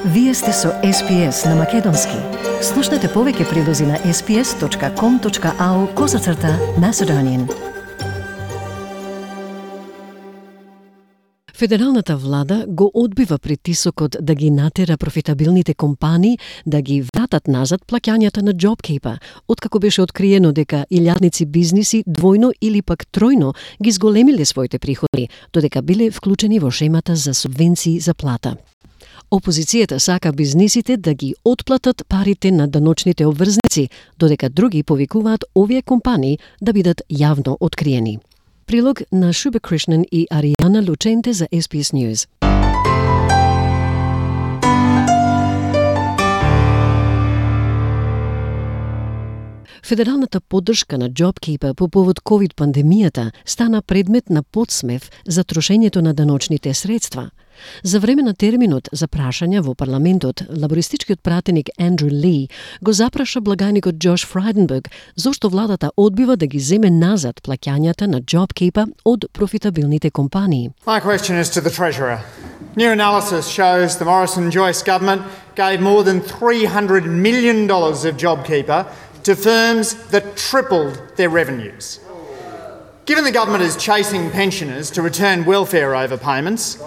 Вие сте со SPS на Македонски. Слушнете повеќе прилози на sps.com.au/Macedonian. Федералната влада го одбива притисокот да ги натера профитабилните компании да ги вратат назад плаќањата на JobKeeper, откако беше откриено дека илјадници бизниси двојно или пак тројно ги зголемиле своите приходи, додека биле вклучени во шемата за субвенции за плата. Опозицијата сака бизнисите да ги отплатат парите на даночните обврзници, додека други повикуваат овие компании да бидат јавно откриени. Прилог на Шуба Кришнан и Аријана Лученте за SBS News. Федералната поддршка на JobKeeper по повод COVID-пандемијата стана предмет на подсмев за трошењето на даночните средства. За време на терминот за прашања во парламентот, лабористичкиот пратеник Андрю Ли го запраша благајникот Джош Фрайденберг зошто владата одбива да ги земе назад плаќањата на JobKeeper од профитабилните компании. My question is to the Treasurer. New analysis shows the Morrison-Joyce government gave more than $300 million of JobKeeper to firms that tripled their revenues. Given the government is chasing pensioners to return welfare overpayments,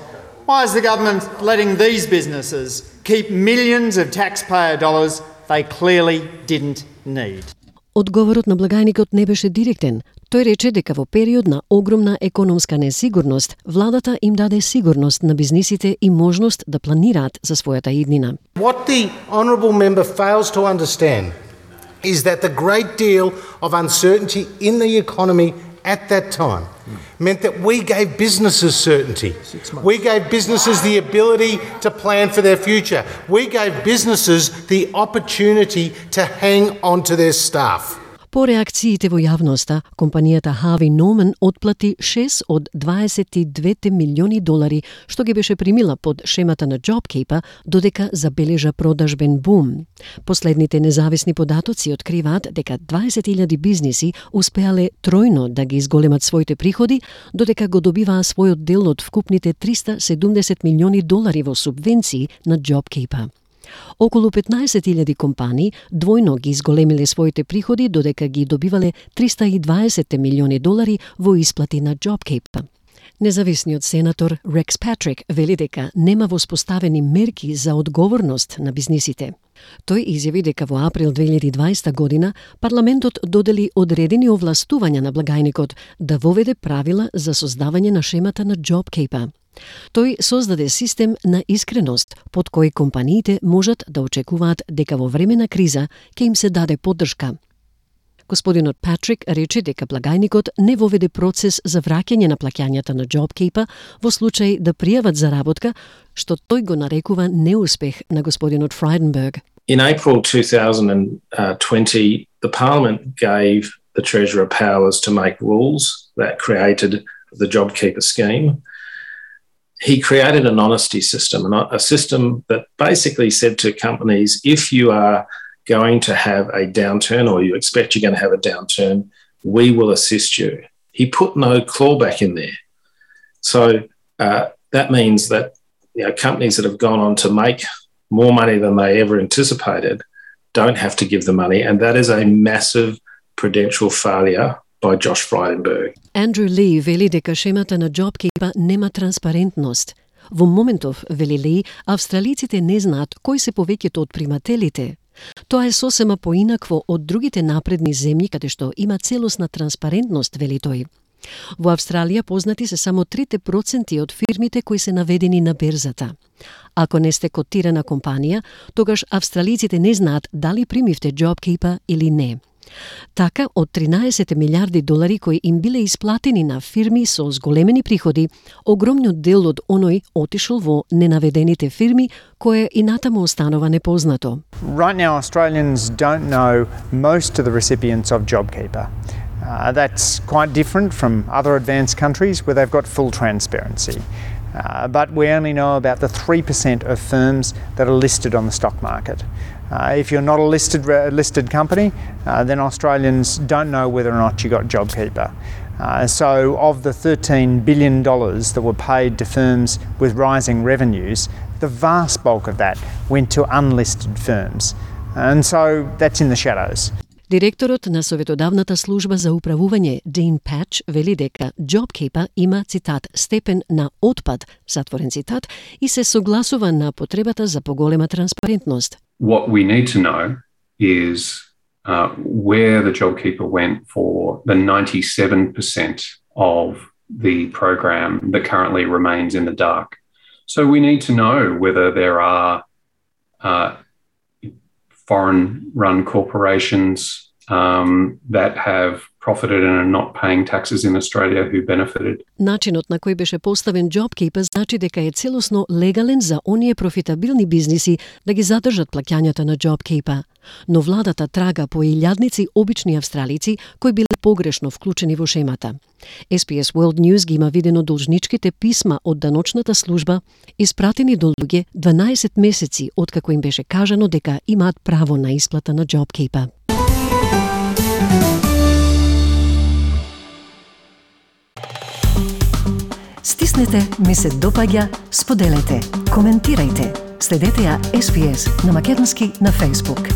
why is the government letting these businesses keep millions of taxpayer dollars they clearly didn't need? Одговорот на благајникот не беше директен. Тој рече дека во период на огромна економска несигурност, владата им даде сигурност на бизнисите и можност да планираат за својата иднина. What the honourable member fails to understand is that the great deal of uncertainty in the economy at that time meant that we gave businesses certainty. We gave businesses the ability to plan for their future. We gave businesses the opportunity to hang on to their staff. По реакциите во јавноста, компанијата Harvey Norman отплати 6 од 22 милиони долари, што ги беше примила под шемата на JobKeeper, додека забележа продажбен бум. Последните независни податоци откриваат дека 20.000 бизниси успеале тројно да ги изголемат своите приходи, додека го добиваа својот дел од вкупните 370 милиони долари во субвенции на JobKeeper. Околу 15.000 компании двојно ги изголемиле своите приходи, додека ги добивале 320 милиони долари во исплати на JobKeeper. Независниот сенатор Рекс Патрик вели дека нема воспоставени мерки за одговорност на бизнисите. Тој изјави дека во април 2020 година парламентот додели одредени овластувања на благајникот да воведе правила за создавање на шемата на JobKeeper. Тој создаде систем на искреност под кој компаниите можат да очекуваат дека во време на криза ќе им се даде поддршка. Господинот Патрик рече дека благајникот не воведе процес за враќање на плаќањата на JobKeeper во случај да пријават заработка, што тој го нарекува неуспех на господинот Фрайденберг. In April 2020, the Parliament gave the Treasurer powers to make rules that created the JobKeeper scheme. He created an honesty system, a system that basically said to companies, if you are going to have a downturn or you expect you're going to have a downturn, we will assist you. He put no clawback in there. So that means that companies that have gone on to make more money than they ever anticipated don't have to give the money, and that is a massive prudential failure by Josh Frydenberg. Andrew Lee вели дека шемата на JobKeeper нема транспарентност. Во моментов, вели Ли, австралиците не знаат кои се повеќето од примателите. Тоа е сосема поинакво од другите напредни земји каде што има целосна транспарентност, вели тој. Во Австралија познати се само 3% од фирмите кои се наведени на берзата. Ако не сте котирана компанија, тогаш австралиците не знаат дали примивте JobKeeper или не. Така, од 13 милиарди долари кои им биле исплатени на фирми со зголемени приходи, огромниот дел од оној отишол во ненаведените фирми, кое и натаму останува непознато. Right now, Australians don't know most of the recipients of JobKeeper. That's quite different from other advanced countries where they've got full transparency. But we only know about the 3% of firms that are listed on the stock market. If you're not a listed company, then Australians don't know whether or not you got JobKeeper. So of the $13 billion that were paid to firms with rising revenues, the vast bulk of that went to unlisted firms. And so that's in the shadows. Директорот на Советодавната служба за управување Dean Patch вели дека JobKeeper има, цитат, степен на отпад, затворен цитат, и се согласува на потребата за поголема транспарентност. What we need to know is where the JobKeeper went for the 97% of the program that currently remains in the dark. So we need to know whether there are foreign-run corporations that have profited and are not paying taxes in Australia who benefited. Начинот на кој беше поставен JobKeeper значи дека е целосно легален за оние профитабилни бизниси да ги задржат плаќањата на JobKeeper. Но владата трага по илјадници обични австралици кои биле погрешно вклучени во шемата. SPS World News ги има видено должничките писма од даночната служба испратени до луѓе 12 месеци откако им беше кажано дека имаат право на исплата на JobKeeper. Стиснете, ми се допаѓа, споделете, коментирајте. Следете ја SPS на македонски на Facebook.